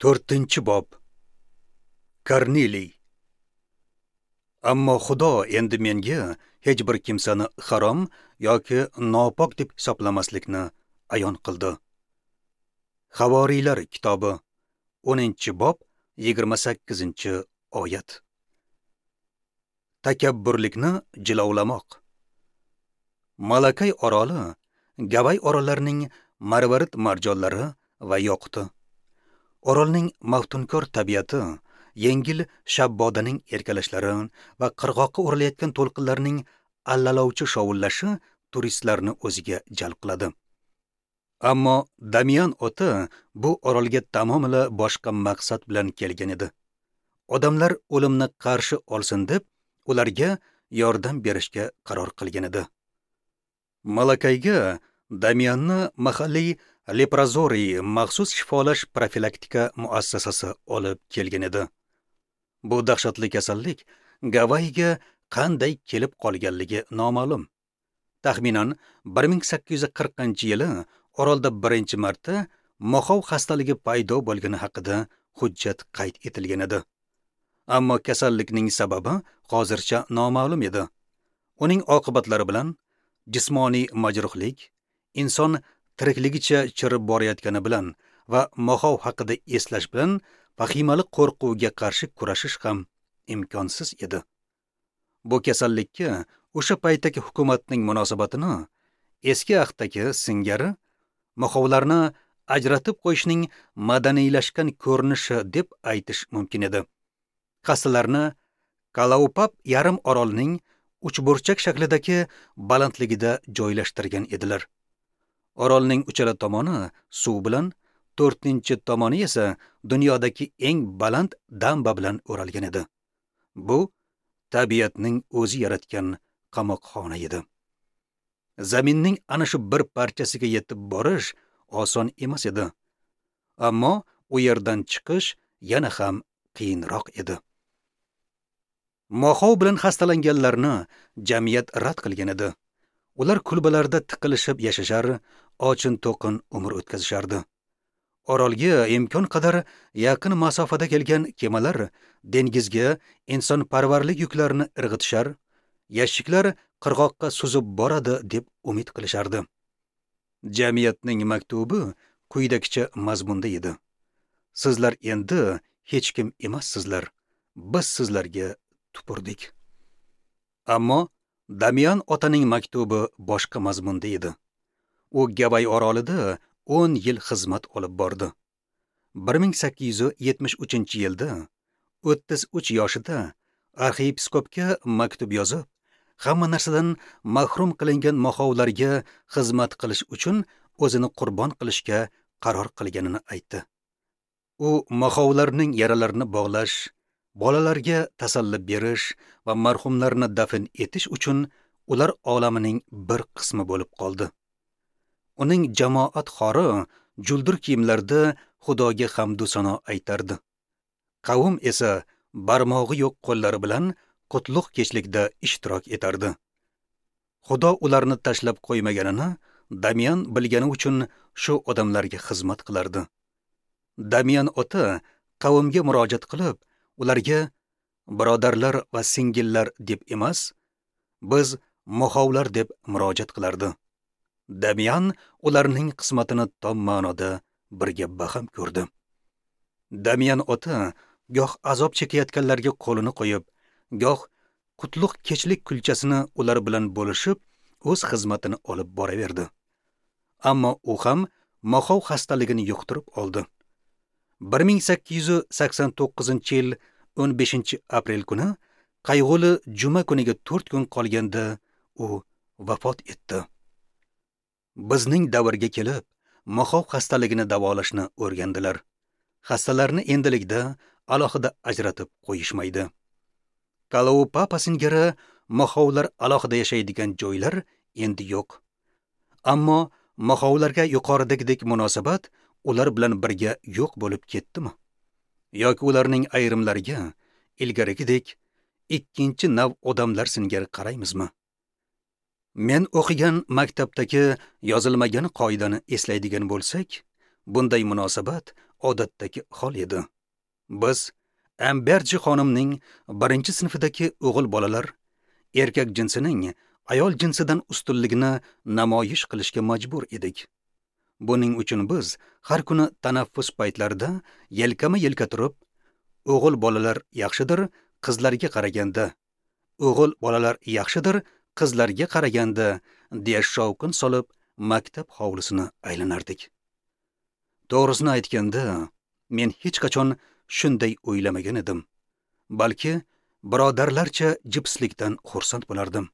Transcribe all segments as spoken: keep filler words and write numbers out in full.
To'rtinchi bob. Korneliy. Ammo Xudo endi menga hech bir kimsani harom yoki nopok deb hisoblamaslikni ayon qildi. Havoriylar kitobi, o'ninchi bob, yigirma sakkizinchi oyat. Takabburlikni jilovlamoq. Malakay oroli Gavay orollarining marvarid marjonlari va yoquti. Orolning maftunkor tabiati, yengil shabbodaning erkalashlari va qirg'oqqa urilayotgan to'lqinlarning allalovchi shovullashi turistlarni o'ziga jalb qiladi. Ammo Damian ota bu orolga tamomila boshqa maqsad bilan kelgan edi. Odamlar o'limni qarshi olsin deb ularga yordam berishga qaror qilgan edi. Malakayga Damianni mahalliy leprozoriy maxsus shifolash profilaktika muassasasi olib kelgan edi. Bu dahshatli kasallik Gavayiga qanday kelib qolganligi noma'lum. Taxminan bir ming sakkiz yuz qirqinchi yili orolda birinchi marta moxov xastaligi paydo bo'lgani haqida hujjat qayd etilgan edi. Ammo kasallikning sababi hozircha noma'lum edi. Uning oqibatlari bilan jismoniy majruhlik, inson tirikligicha chirib borayotgani bilan va moxov haqida eslash bilan vahimali qo'rquvga qarshi kurashish ham imkonsiz edi. Bu kasallikka o'sha paytdagi hukumatning munosabatini eski ahdagi singari moxovlarni ajratib qo'yishning madaniylashgan ko'rinishi deb aytish mumkin edi. Xastalarni Kalaupap yarim orolning uchburchak shaklidagi balandligida joylashtirgan edilar. Orolning uchala tomoni suv bilan, to'rtinchi tomoni esa dunyodagi eng baland damba bilan o'ralgan edi. Bu tabiatning o'zi yaratgan qamoqxona edi. Zaminning ana shu bir parchasiga yetib borish oson emas edi. Ammo u yerdan chiqish yana ham qiyinroq edi. Moxov bilan xastalanganlarni jamiyat rad qilgan edi. Ular kulbalarda tiqilishib yashashar, ochin-to'qin umr o'tkazishardi. Orolga imkon qadar yaqin masofada kelgan kemalar dengizga insonparvarlik yuklarini irg'itishar, yashiklar qirg'oqqa suzib boradi deb umid qilishardi. Jamiyatning maktubi quyidagicha mazmunda edi. Sizlar endi hech kim emassizlar. Biz sizlarga tupurdik. Ammo Damian otaning maktubi boshqa mazmunda edi. U Gavay orolida o'n yil xizmat olib bordi. bir ming sakkiz yuz yetmish uchinchi yilda o'ttiz uch yoshida arxiyepiskopga maktub yozib, hamma narsadan mahrum qilingan moxovlarga xizmat qilish uchun o'zini qurbon qilishga qaror qilganini aytdi. U moxovlarning yaralarini bog'lash, bolalarga tasalli berish va marhumlarni dafn etish uchun ular olamining bir qismi bo'lib qoldi. Uning jamoat xori juldur kiyimlarda Xudoga hamdu sano aytardi. Qavm esa barmog'i yo'q qo'llari bilan qutlug' kechlikda ishtirok etardi. Xudo ularni tashlab qo'ymaganini Damian bilgani uchun shu odamlarga xizmat qilardi. Damian ota qavmga murojaat qilib, ularga birodarlar va singillar deb emas, biz moxovlar deb murojaat qilardi. Damian ularning qismatini tom ma'noda birga baham ko'rdi. Damian ota goh azob chekayotganlarga qo'lini qo'yib, goh qutlug' kechlik kulchasini ular bilan bo'lishib, o'z xizmatini olib boraverdi. Ammo u ham moxov xastaligini yuqtirib oldi. bir ming sakkiz yuz sakson to'qqizinchi yil o'n beshinchi aprel kuni qayg'uli juma kuniga to'rt kun qolganda u vafot etdi. Bizning davrga kelib, moxov xastaligini davolashni o'rgandilar. Xastalarni endilikda alohida ajratib qo'yishmaydi. Kalaupapa singari moxovlar alohida yashaydigan joylar endi yo'q. Ammo moxovlarga yuqoridagidek munosabat ular bilan birga yo'q bo'lib ketdimi? Yoki ularning ayrimlariga ilgarigidek ikkinchi nav odamlar singari qaraymizmi? Men o'qigan maktabdagi yozilmagan qoidani eslaydigan bo'lsak, Bunday munosabat odatdagi hol edi. Biz Amberji xonimning birinchi sinfidagi o'g'il bolalar erkak jinsining ayol jinsidan ustunligini namoyish qilishga majbur edik. Buning uchun biz har kuni tanaffus paytlarida yelkama-yelka turib, o'g'il bolalar yaxshidir qizlarga qaraganda, o'g'il bolalar yaxshidir qizlarga qaraganda deya shovqin solib maktab hovlisini aylanardik. To'g'risini aytganda, men hech qachon shunday o'ylamagan edim. Balki birodarlarcha jipslikdan xursand bo'lardim.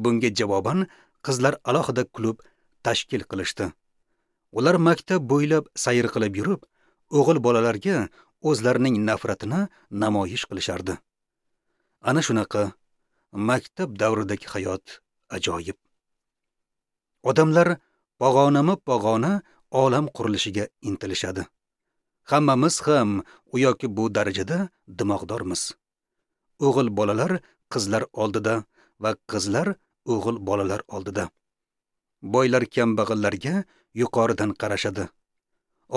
Bunga javoban qizlar alohida klub tashkil qilishdi. Ular maktab bo'ylab sayr qilib yurib, o'g'il bolalarga o'zlarining nafratini namoyish qilishardi. Ana shunaqa maktab davridagi hayot ajoyib. Odamlar pog'onama-pog'ona olam qurilishiga intilishadi. Hammamiz ham u yoki bu darajada dimog'dormiz. O'g'il bolalar qizlar oldida va qizlar o'g'il bolalar oldida. Boylar kambag'allarga yuqoridan qarashadi.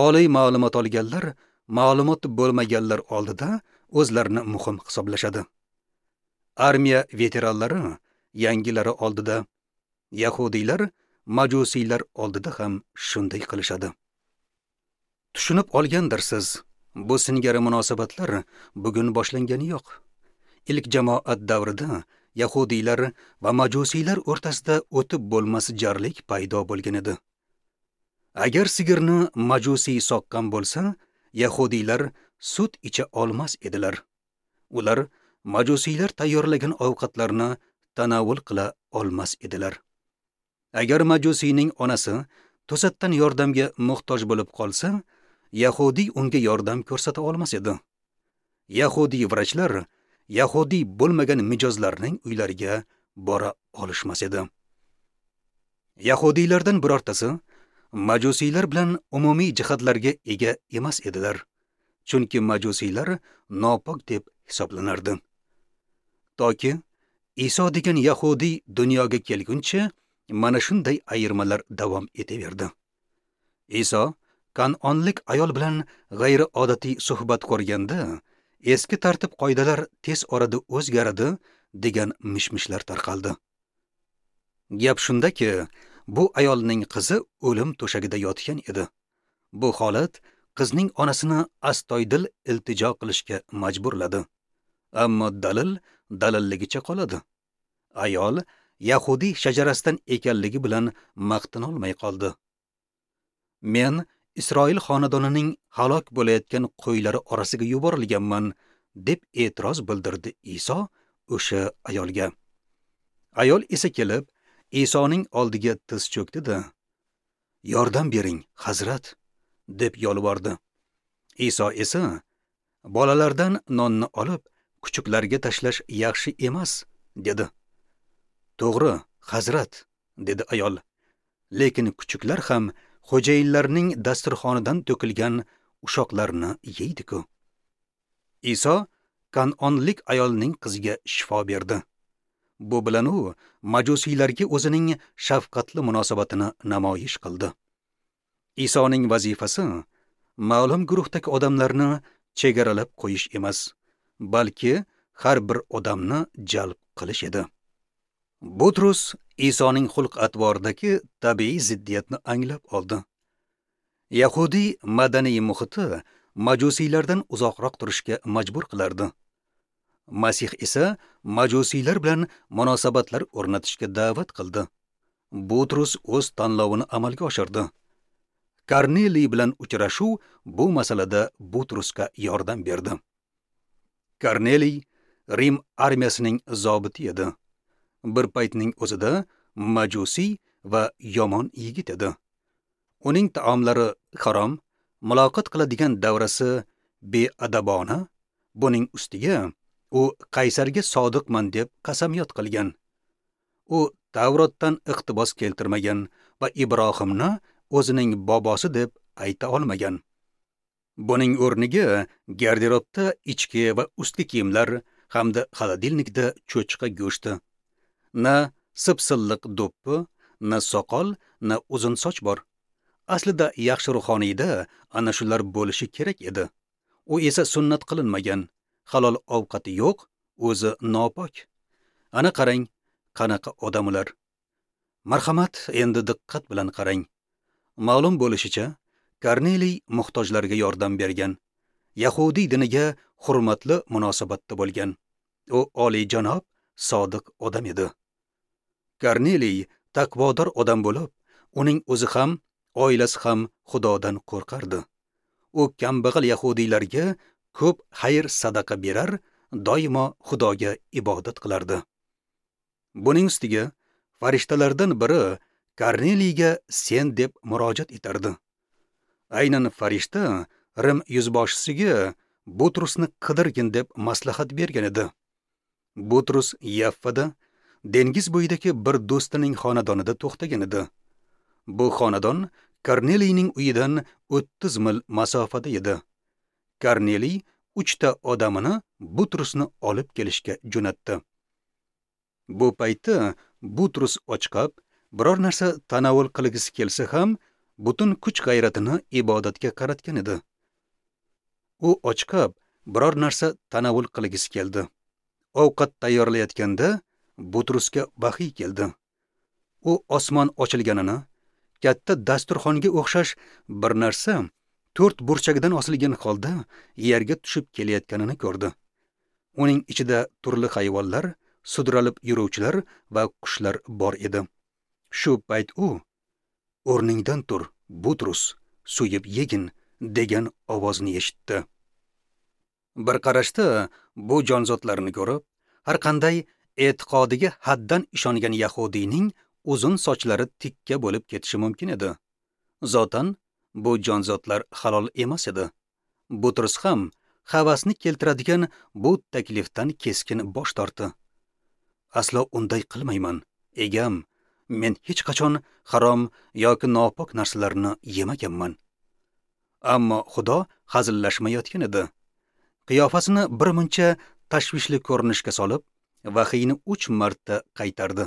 Oliy ma'lumot olganlar ma'lumot bo'lmaganlar oldida o'zlarini muhim hisoblashadi. Armiya veteranlari yangilari oldida, yahudiylar majusiylar oldida ham shunday qilishadi. Tushunib olgandirsiz, bu singari munosabatlar bugun boshlangani yo'q. Ilk jamoat davrida yahudiylar va majusiylar o'rtasida o'tib bo'lmas jarlik paydo bo'lgan edi. Agar sigirni majusiy soqqan bo'lsa, yahudiylar sut icha olmas edilar. Ular majusiylar tayyorlagan ovqatlarni tanovul qila olmas edilar. Agar majusiyning onasi to'satdan yordamga muhtoj bo'lib qolsa, yahudiy unga yordam ko'rsata olmas edi. Yahudiy vrachlar yahudiy bo'lmagan mijozlarning uylariga bora olishmas edi. Yahudiylardan birortasi majusiylar bilan umumiy jihatlarga ega emas edilar, chunki majusiylar nopok deb hisoblanardi. Toki Iso degan yahudiy dunyoga kelguncha mana shunday ayirmalar davom etaverdi. Iso Kanonlik ayol bilan g'ayriodatiy suhbat qurganda, eski tartib qoidalar tez orada o'zgaradi degan mishmishlar tarqaldi. Gap shundaki, bu ayolning qizi o'lim to'shagida yotgan edi. Bu holat qizning onasini astoydil iltijo qilishga majburladi. Ammo dalil dalilligicha qoladi. Ayol yahudiy shajarasidan ekanligi bilan maqtana olmay qoldi. Men Isroil xonadonining halok bo'layotgan qo'ylari orasiga yuborilganman, deb e'tiroz bildirdi Iso o'sha ayolga. Ayol esa kelib Isoning oldiga tiz cho'kdi-da, "Yordam bering, hazrat", deb yolvordi. Iso esa, "Bolalardan nonni olib, kuchuklarga tashlash yaxshi emas", dedi. "To'g'ri, hazrat", dedi ayol. "Lekin kuchuklar ham xo'jayinlarning dasturxonidan to'kilgan ushoqlarni yeydi-ku." Iso Kanonlik ayolning qiziga shifo berdi. Bu bilan u majusiylarga o'zining shafqatli munosabatini namoyish qildi. Isoning vazifasi ma'lum guruhdagi odamlarni chegaralab qo'yish emas, balki har bir odamni jalb qilish edi. Butrus Isoning xulq-atvoridagi tabiiy ziddiyatni anglab oldi. Yahudiy madaniy muhiti majusiylardan uzoqroq turishga majbur qilardi. Masih esa majusiylar bilan munosabatlar o'rnatishga da'vat qildi. Butrus o'z tanlovini amalga oshirdi. Korneliy bilan uchrashuv bu masalada Butrusga yordam berdi. Korneliy Rim armiyasining zobiti edi. Bir paytning o'zida majusiy va yomon yigit edi. Uning taomlari harom, muloqot qiladigan davrasi beadabona, buning ustiga u qaysarga sodiqman deb qasamyod qilgan. U Tavrotdan iqtibos keltirmagan va Ibrohimni o'zining bobosi deb ayta olmagan. Buning o'rniga garderobda ichki va ustki kiyimlar hamda xolodilnikda cho'chqa go'shti, na sipsilliq do'ppi, na soqol, na uzun soch bor. Aslida yaxshi ruhoniyda ana shular bo'lishi kerak edi. U esa sunnat qilinmagan, halol ovqati yo'q, o'zi nopok. Ana qarang, qanaqa odam ular. Marhamat, endi diqqat bilan qarang. Ma'lum bo'lishicha, Korneliy muhtojlarga yordam bergan, yahudiy diniga hurmatli munosabatda bo'lgan. U oliyjanob, sodiq odam edi. Korneliy taqvodor odam bo'lib, uning o'zi ham, oilasi ham Xudodan qo'rqardi. U kambag'al yahudiylarga ko'p xayr sadaqa berar, doimo Xudoga ibodat qilardi. Buning ustiga farishtalardan biri Korneliyga sen deb murojaat etardi. Aynan farishta Rim yuzboshisiga Butrusni qidirgin deb maslahat bergan edi. Butrus Yaffada, dengiz bo'yidagi bir do'stining xonadonida to'xtagan edi. Bu xonadon Korneliyning uyidan o'ttiz mil masofada edi. Korneliy uchta odamini Butrusni olib kelishga jo'natdi. Bu paytda Butrus ochqab, biror narsa tanovul qilgisi kelsa ham, butun kuch-g'ayratini ibodatga qaratgan edi. U ochqab, biror narsa tanovul qilgisi keldi. Ovqat tayyorlayotganda Butrusga vahiy keldi. U osmon ochilganini, katta dasturxonga o'xshash bir narsa to'rt burchagidan osilgan holda yerga tushib kelayotganini ko'rdi. Uning ichida turli hayvonlar, sudralib yuruvchilar va qushlar bor edi. Shu payt u: "O'rningdan tur, Butrus, so'yib yegin" degan ovozni eshitdi. Bir qarashda bu jonzotlarni ko'rib, har qanday e'tiqodiga haddan ishongan yahudiyning uzun sochlari tikka bo'lib ketishi mumkin edi. Zotan bu jonzotlar halol emas edi. Butrus ham havasni keltiradigan bu taklifdan keskin bosh tortdi. Aslo unday qilmayman, egam, men hech qachon harom yoki nopok narsalarni yemaganman. Ammo Xudo hazillashmayotgan edi. Qiyofasini birmuncha tashvishli ko'rinishga solib, vahiyni uch marta qaytardi.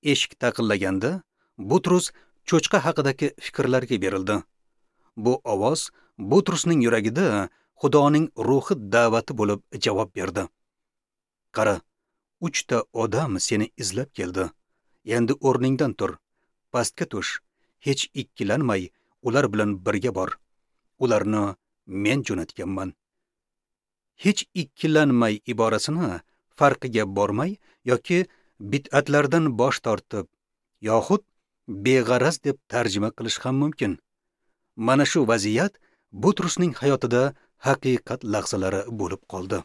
Eshik taqillaganda Butrus cho'chqa haqidagi fikrlarga berildi. Bu ovoz Butrusning yuragida Xudoning ruhi da'vati bo'lib javob berdi. Qara, uchta odam seni izlab keldi. Endi o'rningdan tur, pastga tush, hech ikkilanmay ular bilan birga bor. Ularni men jo'natganman. Hech ikkilanmay iborasini farqiga bormay yoki bid'atlardan bosh tortib, yoxud beg'araz deb tarjima qilish ham mumkin. Mana shu vaziyat Butrusning hayotida haqiqat lahzalari bo'lib qoldi.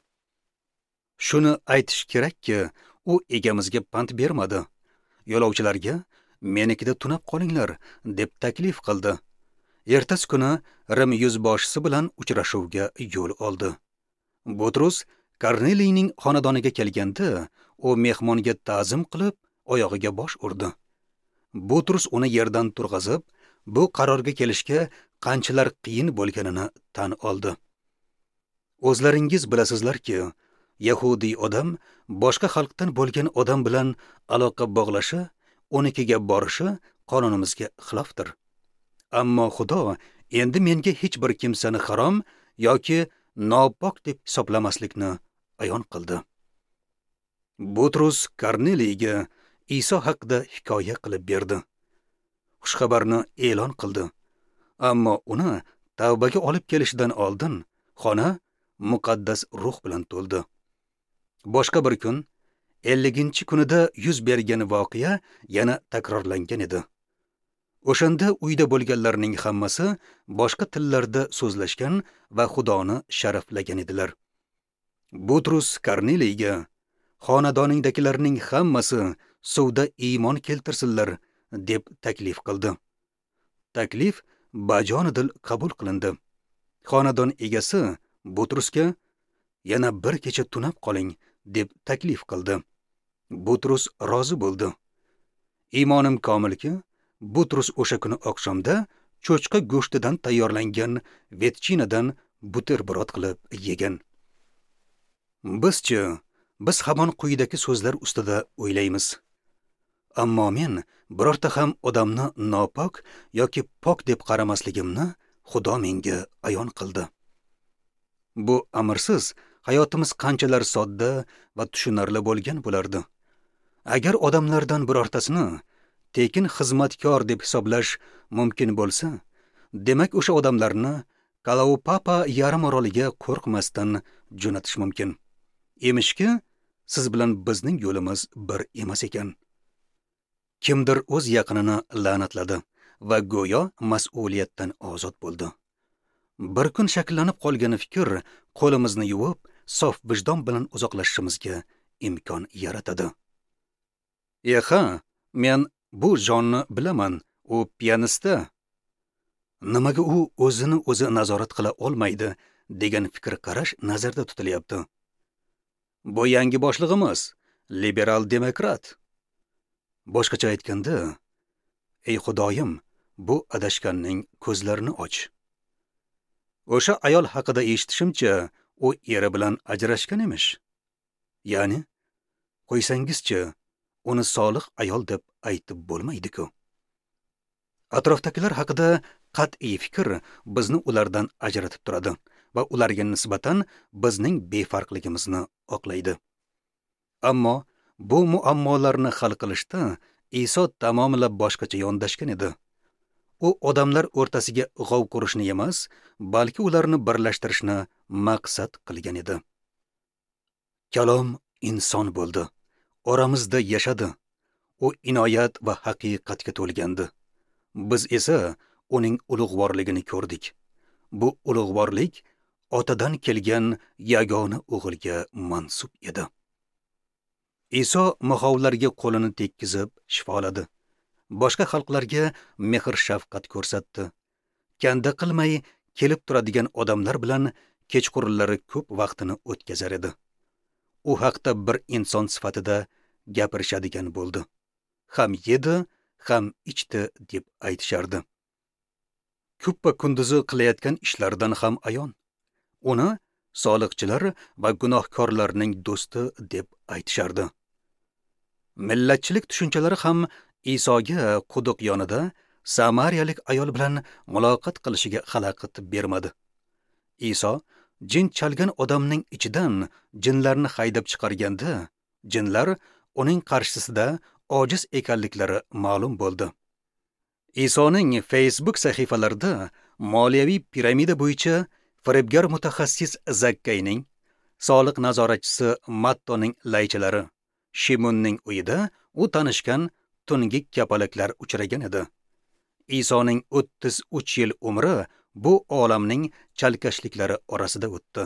Shuni aytish kerakki, u egamizga pand bermadi. Yo'lovchilarga menikida tunab qolinglar deb taklif qildi. Ertasi kuni Rim yuzboshisi bilan uchrashuvga yo'l oldi. Butrus Korneliyning xonadoniga kelganda, u mehmonga ta'zim qilib, oyog'iga bosh urdi. Butrus uni yerdan turg'azib, bu qarorga kelishga qanchalar qiyin bo'lganini tan oldi. O'zlaringiz bilasizlarki, yahudiy odam boshqa xalqdan bo'lgan odam bilan aloqa bog'lashi, unikiga borishi qonunimizga xilofdir. Ammo Xudo endi menga hech bir kimsani harom yoki nopok deb hisoblamaslikni ayon qildi. Butrus Korneliyga Iso haqida hikoya qilib berdi. Xushxabarni e'lon qildi. Ammo uni tavbaga olib kelishidan oldin xona muqaddas ruh bilan to'ldi. Boshqa bir kun, elliginchi kunida yuz bergan voqea yana takrorlangan edi. O'shanda uyda bo'lganlarning hammasi boshqa tillarda so'zlashgan va Xudoni sharaflagan edilar. Butrus Korneliyga: "Xonadoningdagilarning hammasi suvda iymon keltirsinlar" deb taklif qildi. Taklif bajonidil qabul qilindi. Xonadon egasi Butrusga: "Yana bir kecha tunab qoling" deb taklif qildi. Butrus rozi bo'ldi. Iymonim komilki, Butrus o'sha kuni oqshomda cho'chqa go'shtidan tayyorlangan vetchinadan buterbrod qilib yegan. Bizchi, biz hamon quyidagi so'zlar ustida o'ylaymiz. Ammo men birorta ham odamni nopok yoki pok deb qaramasligimni Xudo menga ayon qildi. Bu amirsiz hayotimiz qanchalar sodda va tushunarli bo'lgan bo'lardi. Agar odamlardan birortasini tekin xizmatkor deb hisoblash mumkin bo'lsa, demak o'sha odamlarni Kalaupapa yarim oroliga qo'rqmasdan jo'natish mumkin. Emishki, siz bilan bizning yo'limiz bir emas ekan. Kimdir o'z yaqinini la'natladi va go'yo mas'uliyatdan ozod bo'ldi. Bir kun shakllanib qolgan fikr qo'limizni yuvib, sof vijdon bilan uzoqlashishimizga imkon yaratadi. Eha, men bu jonni bilaman, u piyanista. Nimaga u o'zini o'zi nazorat qila olmaydi degan fikr qarash nazarda tutilyapti. Bu yangi boshlig'imiz, liberal demokrat. Boshqacha aytganda, ey Xudoyim, bu adashganning ko'zlarini och. O'sha ayol haqida eshitishimcha, u eri bilan ajrashgan emish. Ya'ni, qo'ysangizchi, uni solih ayol deb aytib bo'lmaydi-ku. Atrofdagilar haqida qat'iy fikr bizni ulardan ajratib turadi va ularga nisbatan bizning befarqligimizni oqlaydi. Ammo bu muammolarni hal qilishda Iso tamomila boshqacha yondashgan edi. U odamlar o'rtasiga g'ov qurishni emas, balki ularni birlashtirishni maqsad qilgan edi. Kalom inson bo'ldi, oramizda yashadi. U inoyat va haqiqatga to'lgandi. Biz esa uning ulug'vorligini ko'rdik. Bu ulug'vorlik otadan kelgan yagona o'g'ilga mansub edi. Iso mahovlarga qo'lini tekkizib shifoladi. Boshqa xalqlarga mehr-shafqat ko'rsatdi. Kanda qilmay kelib turadigan odamlar bilan kechqurunlari ko'p vaqtini o'tkazar edi. U haqda bir inson sifatida gapirishadigan bo'ldi. Ham yedi, ham ichdi deb aytishardi. Kuppa kunduzi qilayotgan ishlaridan ham ayon. Uni soliqchilar va gunohkorlarning do'sti deb aytishardi. Millatchilik tushunchalari ham Isoga quduq yonida samariyalik ayol bilan muloqot qilishiga xalaqit bermadi. Iso jin chalgan odamning ichidan jinlarni haydab chiqarganda, jinlar uning qarshisida ojiz ekanliklari ma'lum bo'ldi. Isoning Facebook sahifalarida moliyaviy piramida bo'yicha firibgar mutaxassis Zakkayning, soliq nazoratchisi Mattoning laychalari, Shimunning uyida u tanishgan tungi kapalaklar uchragan edi. Isoning o'ttiz uch yil umri bu olamning chalkashliklari orasida o'tdi.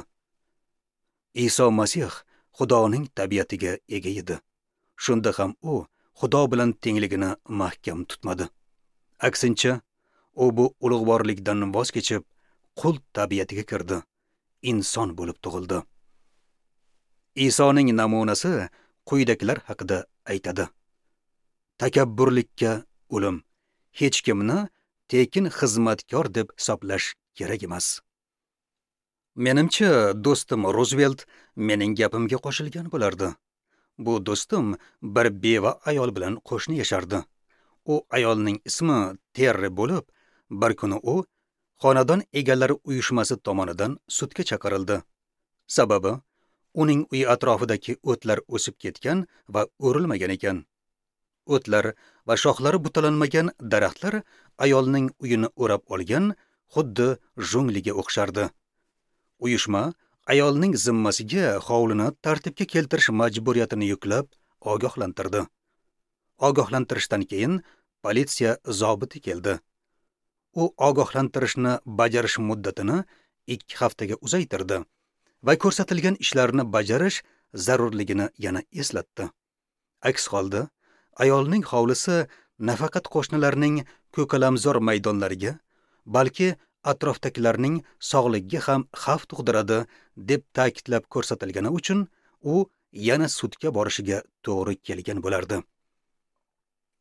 Iso Masih Xudoning tabiatiga ega edi. Shunda ham u Xudo bilan tengligini mahkam tutmadi. Aksincha, u bu ulug'vorlikdan voz kechib, qul tabiatiga kirdi, inson bo'lib tug'ildi. Isoning namunasi quyidagilar haqida aytadi. Takabburlikka o'lim, hech kimni tekin xizmatkor deb hisoblash kerak emas. Menimcha, do'stim Ruzvelt mening gapimga qo'shilgan bo'lardi. Bu do'stim bir beva ayol bilan qo'shni yashardi. U ayolning ismi Terri bo'lib, bir kuni u xonadon egalari uyushmasi tomonidan sudga chaqirildi. Sababi, uning uyi atrofidagi o'tlar o'sib ketgan va o'rilmagan ekan. O'tlar va shoxlari butalanmagan daraxtlar ayolning uyini o'rab olgan, xuddi jungliga o'xshardi. Uyushma ayolning zimmasiga hovlini tartibga keltirish majburiyatini yuklab ogohlantirdi. Ogohlantirishdan keyin politsiya zobiti keldi. U ogohlantirishni bajarish muddatini ikki haftaga uzaytirdi va ko'rsatilgan ishlarni bajarish zarurligini yana eslatdi. Aks holda ayolning hovlisi nafaqat qo'shnilarning ko'kalamzor maydonlariga, balki atrofdagilarning sog'ligiga ham xavf tug'diradi deb ta'kidlab ko'rsatilgani uchun u yana sudga borishiga to'g'ri kelgan bo'lardi.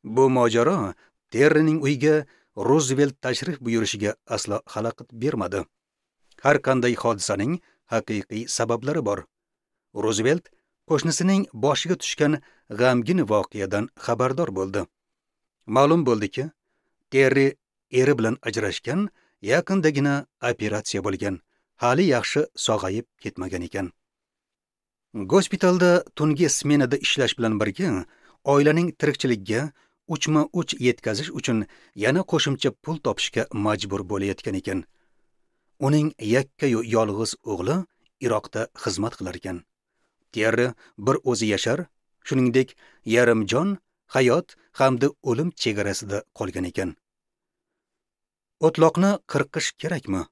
Bu mojaro Terrining uyiga Ruzvelt tashrif buyurishiga aslo xalaqit bermadi. Har qanday hodisaning haqiqiy sabablari bor. Ruzvelt Qo'shnisining boshiga tushgan g'amgin voqeadan xabardor bo'ldi. Ma'lum bo'ldiki, Terri eri bilan ajrashgan, yaqindagina operatsiya bo'lgan, hali yaxshi sog'ayib ketmagan ekan. Gospitalda tungi smenada ishlash bilan birga oilaning tirikchiligiga uchma-uch yetkazish uchun yana qo'shimcha pul topishga majbur bo'layotgan ekan. Uning yakkayu yolg'iz o'g'li Iroqda xizmat qilar ekan. Terri bir o'zi yashar, shuningdek yarim jon hayot hamda o'lim chegarasida qolgan ekan. O'tloqni qirqish kerakmi?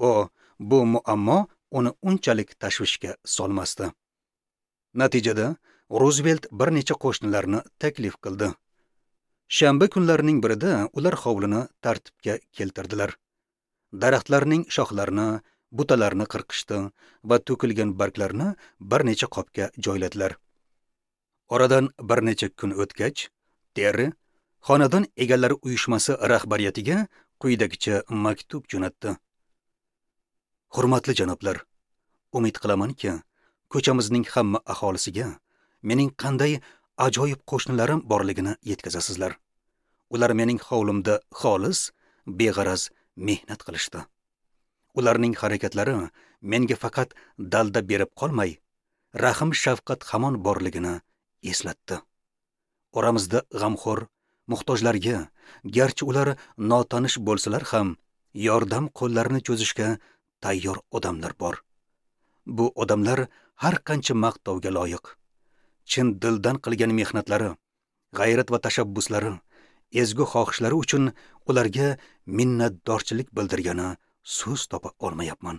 O, bu muammo uni unchalik tashvishga solmasdi. Natijada Ruzvelt bir necha qo'shnilarni taklif qildi. Shanba kunlarining birida ular hovlini tartibga keltirdilar. Daraxtlarning shoxlarini, butalarni qirqishdi va to'kilgan barglarni bir necha qopga joyladilar. Oradan bir necha kun o'tgach, Terri xonadon egalari uyushmasi rahbariyatiga quyidagicha maktub jo'natdi. Hurmatli janoblar, umid qilamanki, ko'chamizning hamma aholisiga mening qanday ajoyib qo'shnilarim borligini yetkazasizlar. Ular mening hovlimda xolis, beg'araz mehnat qilishdi. Ularning harakatlari menga faqat dalda berib qolmay, rahm shafqat hamon borligini eslatdi. Oramizda g'amxo'r, muhtojlarga, garchi ular notanish bo'lsalar ham, yordam qo'llarini cho'zishga tayyor odamlar bor. Bu odamlar har qancha maqtovga loyiq. Chin dildan qilgan mehnatlari, g'ayrat va tashabbuslari, ezgu xohishlari uchun ularga minnatdorchilik bildirgani so'z topa olmayapman.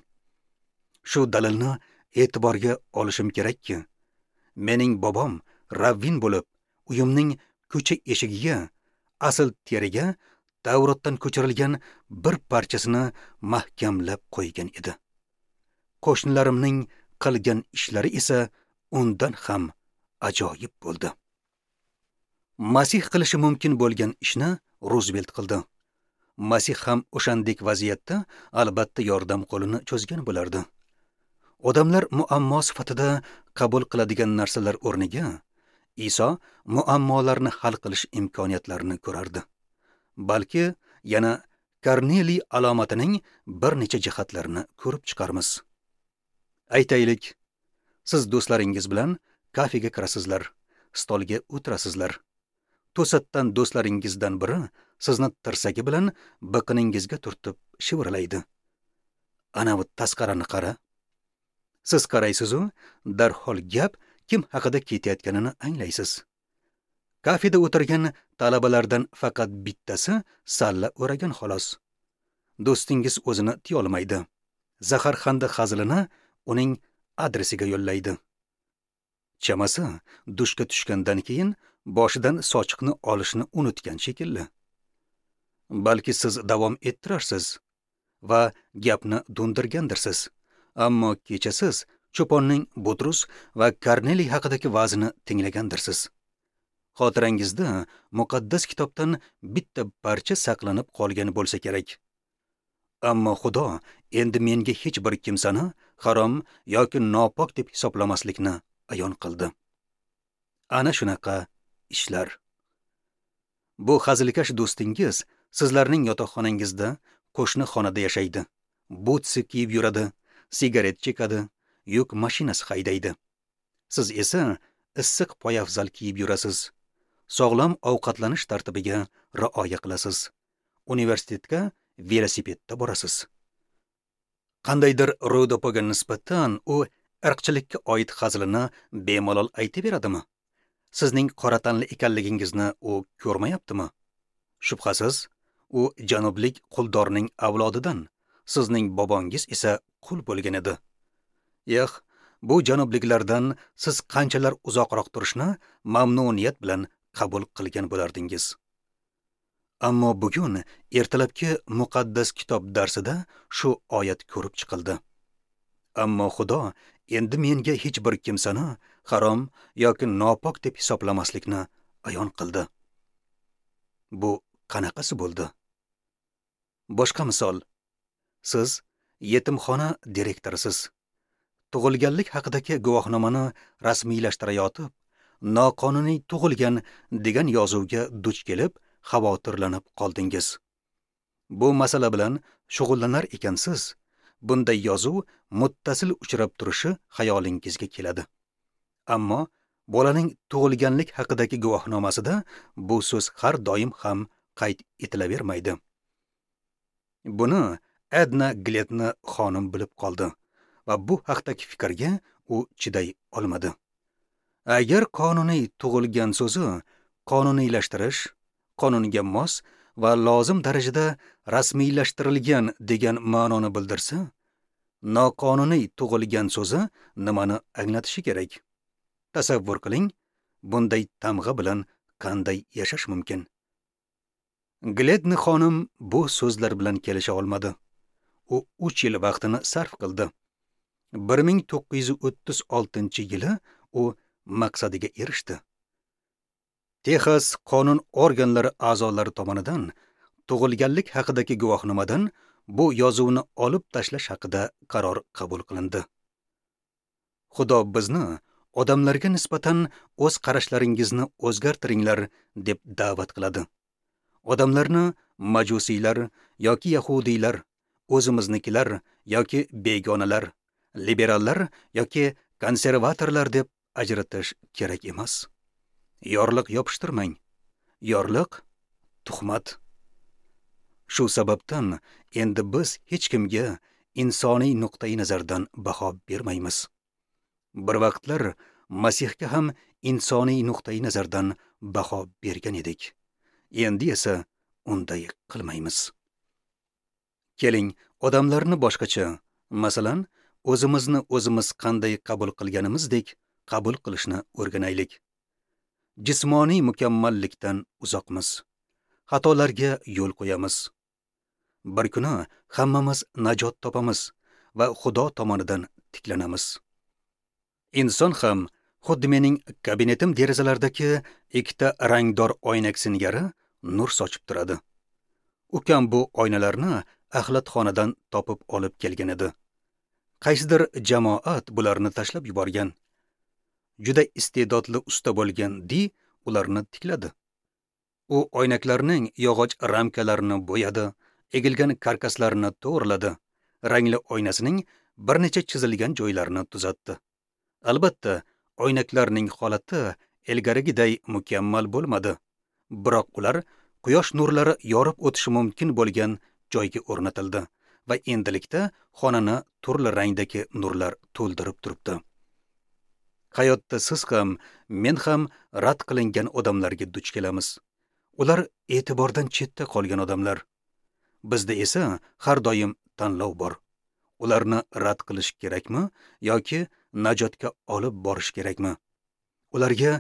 Shu dalilni e'tiborga olishim kerakki, mening bobom ravvin bo'lib, uyimning ko'cha eshigiga, asl teriga Tavrotdan ko'chirilgan bir parchasini mahkamlab qo'ygan edi. Qo'shnilarimning qilgan ishlari esa undan ham ajoyib bo'ldi. Masih qilishi mumkin bo'lgan ishni Ruzvelt qildi. Masih ham o'shandek vaziyatda albatta yordam qo'lini cho'zgan bo'lardi. Odamlar muammo sifatida qabul qiladigan narsalar o'rniga Iso muammolarni hal qilish imkoniyatlarini ko'rardi. Balki yana Korneliy alomatining bir necha jihatlarini ko'rib chiqarmiz. Aytaylik, siz do'stlaringiz bilan kafega kirasizlar, stolga o'tirasizlar. To'satdan do'stlaringizdan biri sizni tirsagi bilan biqiningizga turtib shivirlaydi. Ana bu tasqarani qara. Siz qaraysiz-u, darhol gap kim haqida ketayotganini anglaysiz. Kafeda o'tirgan talabalardan faqat bittasi salla o'ragan xolos. Do'stingiz o'zini tiyolmaydi. Zaharxanda hazilini uning adresiga yo'llaydi. Chamasi dushga tushgandan keyin boshidan sochiqni olishni unutgan shekilli. Balki siz davom ettirarsiz va gapni do'ndirgandirsiz. Ammo kecha siz cho'ponning Butrus va Korneliy haqidagi va'zini tinglagandirsiz. Xotirangizda muqaddas kitobdan bitta parcha saqlanib qolgan bo'lsa kerak. Ammo Xudo endi menga hech bir kimsani harom yoki nopok deb hisoblamaslikni ayon qildi. Ana shunaqa ishlar. Bu hazilkash do'stingiz sizlarning yotoqxonangizda qo'shni xonada yashaydi. Butsi kiyib yuradi, sigaret chekadi, yuk mashinasi haydaydi. Siz esa issiq poyafzal kiyib yurasiz. Sog'lom ovqatlanish tartibiga rioya qilasiz. Universitetga velosipedda borasiz. Qandaydir ro'dopaga nisbatan u irqchilikka oid hazilini bemalol aytaveradimi? Sizning qora tanli ekanligingizni u ko'rmayaptimi? Shubhasiz, u janublik quldorning avlodidan, sizning bobongiz esa qul bo'lgan edi. Yo'q, bu janubliklardan siz qanchalar uzoqroq turishni mamnuniyat bilan qabul qilgan bo'lardingiz. Ammo bugun ertalabki muqaddas kitob darsida shu oyat ko'rib chiqildi. Ammo Xudo endi menga hech bir kimsani harom yoki nopok deb hisoblamaslikni ayon qildi. Bu qanaqasi bo'ldi? Boshqa misol. Siz yetimxona direktorisiz. tug'ilganlik haqidagi guvohnomani rasmiylashtirayotib, noqonuniy tug'ilgan degan yozuvga duch kelib, xavotirlanib qoldingiz. Bu masala bilan shug'ullanar ekansiz, bunday yozuv muttasil uchrab turishi xayolingizga keladi. Ammo bolaning tug'ilganlik haqidagi guvohnomasida bu so'z har doim ham qayd etilavermaydi. Buni Edna Gledni xonim bilib qoldi va bu haqdagi fikrga u chiday olmadi. Agar qonuniy tug'ilgan so'zi qonuniylashtirish, qonunga mos va lozim darajada rasmiylashtirilgan degan ma'noni bildirsa, noqonuniy tug'ilgan so'zi nimani anglatishi kerak? Tasavvur qiling, bunday tamg'a bilan qanday yashash mumkin? Gledni xonim bu so'zlar bilan kelisha olmadi. U uch yil vaqtini sarf qildi. bir ming to'qqiz yuz o'ttiz oltinchi yili u maqsadiga erishdi. Texas qonun organlari a'zolari tomonidan tug'ilganlik haqidagi guvohnomadan bu yozuvni olib tashlash haqida qaror qabul qilindi. Xudo bizni odamlarga nisbatan o'z qarashlaringizni o'zgartiringlar deb da'vat qiladi. Odamlarni majusiylar yoki yahudiylar, o'zimiznikilar yoki begonalar, liberallar yoki konservatorlar deb ajratish kerak emas. Yorliq yopishtirmang. Yorliq tuhmat. Shu sababdan endi biz hech kimga insoniy nuqtai nazardan baho bermaymiz. Bir vaqtlar Masihga ham insoniy nuqtai nazardan baho bergan edik. Endi esa unday qilmaymiz. Keling, odamlarni boshqacha, masalan, o'zimizni o'zimiz qanday qabul qilganimizdek qabul qilishni o'rganaylik. Jismoniy mukammallikdan uzoqmiz. Xatolarga yo'l qo'yamiz. Bir kuni hammamiz najot topamiz va Xudo tomonidan tiklanamiz. Inson ham xuddi mening kabinetim derazalaridagi ikkita rangdor oynak singari nur sochib turadi. Ukam bu oynalarni axlatxonadan topib olib kelgan edi. Qaysidir jamoat bularni tashlab yuborgan. Juda iste'dodli usta bo'lgan Di ularni tikladi. U oynaklarning yog'och ramkalarini bo'yadi, egilgan karkaslarini to'g'riladi, rangli oynasining bir necha chizilgan joylarini tuzatdi. Albatta, oynaklarning holati ilgarigiday mukammal bo'lmadi, biroq ular quyosh nurlari yorib o'tishi mumkin bo'lgan joyga o'rnatildi va endilikda xonani turli rangdagi nurlar to'ldirib turibdi. Hayotda siz ham, men ham rad qilingan odamlarga duch kelamiz. Ular e'tibordan chetda qolgan odamlar. Bizda esa har doim tanlov bor. Ularni rad qilish kerakmi yoki najotga olib borish kerakmi? Ularga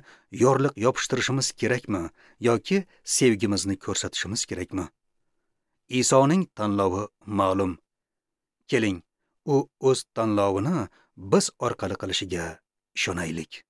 yorliq yopishtirishimiz kerakmi yoki sevgimizni ko'rsatishimiz kerakmi? Isoning tanlovi ma'lum. Keling, u o'z tanlovini biz orqali qilishiga ishonaylik.